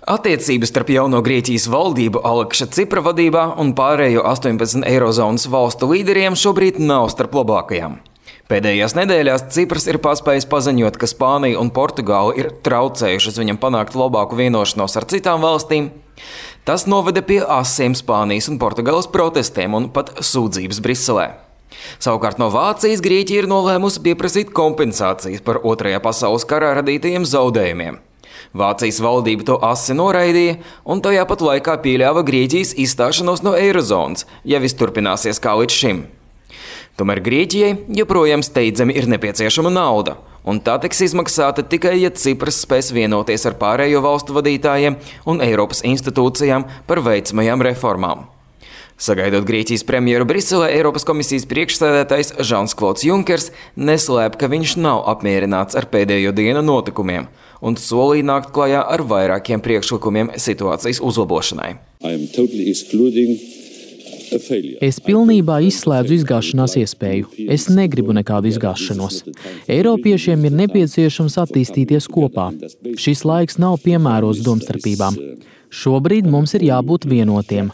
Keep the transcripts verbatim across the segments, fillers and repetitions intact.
Attiecības starp jauno Grieķijas valdību Alekša Cipra vadībā un pārējo astoņpadsmit eirozonas valstu līderiem šobrīd nav starp labākajām. Pēdējās nedēļās Cipras ir paspējis paziņot, ka Spānija un Portugāla ir traucējušas viņam panākt labāku vienošanos ar citām valstīm. Tas noveda pie asiem Spānijas un Portugāles protestiem un pat sūdzības Briselē. Savukārt no Vācijas Grieķija ir nolēmusi pieprasīt kompensācijas par otrajā pasaules karā radītajiem zaudējumiem. Vācijas valdība to asi noraidīja un tajā pat laikā pieļāva Grieķijas izstāšanos no eirozonas, ja viss turpināsies kā līdz šim. Tomēr Grieķijai joprojām steidzami ir nepieciešama nauda, un tā tiks izmaksāta tikai, ja Cipras spēs vienoties ar pārējo valstu vadītājiem un Eiropas institūcijām par veicamajām reformām. Sagaidot Grieķijas premjeru Briselē, Eiropas komisijas priekšsēdētājs Žans-Klods Junkers neslēp, ka viņš nav apmierināts ar pēdējo dienu notikumiem un solīja nākt klajā ar vairākiem priekšlikumiem situācijas uzlabošanai. Es pilnībā izslēdzu izgāšanās iespēju. Es negribu nekādu izgāšanos. Eiropiešiem ir nepieciešams attīstīties kopā. Šis laiks nav piemērots domstarpībām. Šobrīd mums ir jābūt vienotiem.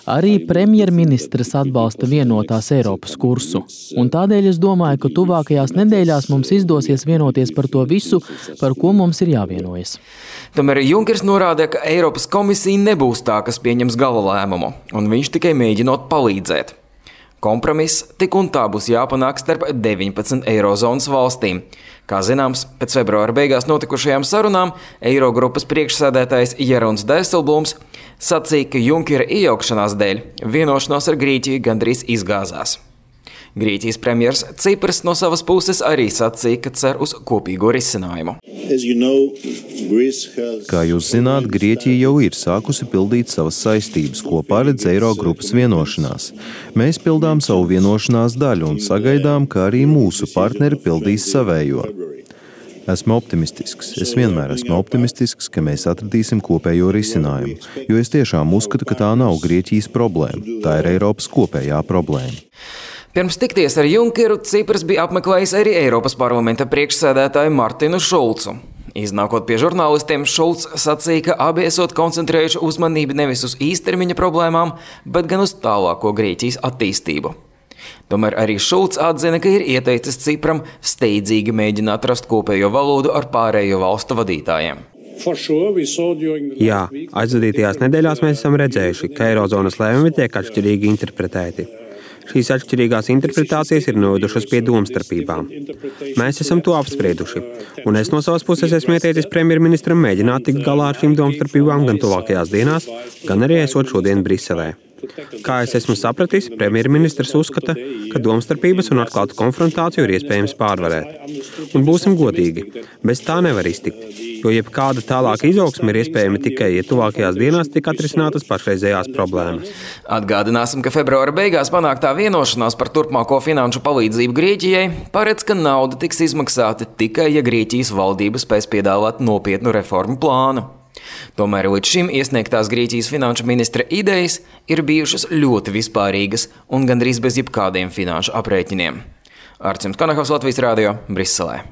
Arī premjerministrs atbalsta vienotās Eiropas kursu, un tādēļ es domāju, ka tuvākajās nedēļās mums izdosies vienoties par to visu, par ko mums ir jāvienojas. Tomēr Junkers norāda, ka Eiropas komisija nebūs tā, kas pieņems gala lēmumu, un viņš tikai mēģinot palīdzēt. Kompromiss tik un tā būs jāpanāk starp deviņpadsmit eirozonas valstīm. Kā zināms, pēc februāra beigās notikušajām sarunām Eirogrupas priekšsēdētājs Jeroens Dijsselbloems sacīja, ka Junkera iejaukšanās dēļ vienošanās ar Grieķiju gandrīz izgāzās. Grieķijas premjers Cipras no savas puses arī sacīja, ka cer uz kopīgo risinājumu. Kā jūs zināt, Grieķija jau ir sākusi pildīt savas saistības, ko paredz Eirogrupas vienošanās. Mēs pildām savu vienošanās daļu un sagaidām, ka arī mūsu partneri pildīs savējo. Esmu optimistisks. Es vienmēr esmu optimistisks, ka mēs atradīsim kopējo risinājumu, jo es tiešām uzskatu, ka tā nav Grieķijas problēma. Tā ir Eiropas kopējā problēma. Pirms tikties ar Junkeru, Cipras bija apmeklējis arī Eiropas parlamenta priekšsēdētāju Martinu Šulcu. Iznākot pie žurnālistiem, Šulcs sacīja, ka abi esot koncentrējuši uzmanību nevis uz īstermiņa problēmām, bet gan uz tālāko Grieķijas attīstību. Tomēr arī Šulcs atzina, ka ir ieteicis Cipram steidzīgi mēģināt rast kopējo valodu ar pārējo valstu vadītājiem. Jā, aizvadītajās nedēļās mēs esam redzējuši, ka eirozonas lēmumi tiek atšķirīgi interpretēti. Šīs atšķirīgās interpretācijas ir novedušas pie domstarpībām. Mēs esam to apsprieduši, un es no savas puses esmu ieteicis premjerministram mēģināt tikt galā ar šīm domstarpībām gan tuvākajās dienās, gan arī esot šodien Briselē. Kā es esmu sapratis, premjerministrs uzskata, ka domstarpības un atklātu konfrontāciju ir iespējams pārvarēt. Un būsim godīgi, bez tā nevar iztikt, jo jebkāda tālāka izaugsme ir iespējama tikai, ja tuvākajās dienās tik atrisinātas pašreizējās problēmas. Atgādināsim, ka februāra beigās panāktā vienošanās par turpmāko finanšu palīdzību Grieķijai paredz, ka nauda tiks izmaksāta tikai, ja Grieķijas valdība spēs piedāvāt nopietnu reformu plānu. Tomēr līdz šim iesniegtās Grieķijas finanšu ministra idejas ir bijušas ļoti vispārīgas un gandrīz bez jebkādiem finanšu aprēķiniem. Arcims Kanahovs, Latvijas Rādio, Briselē.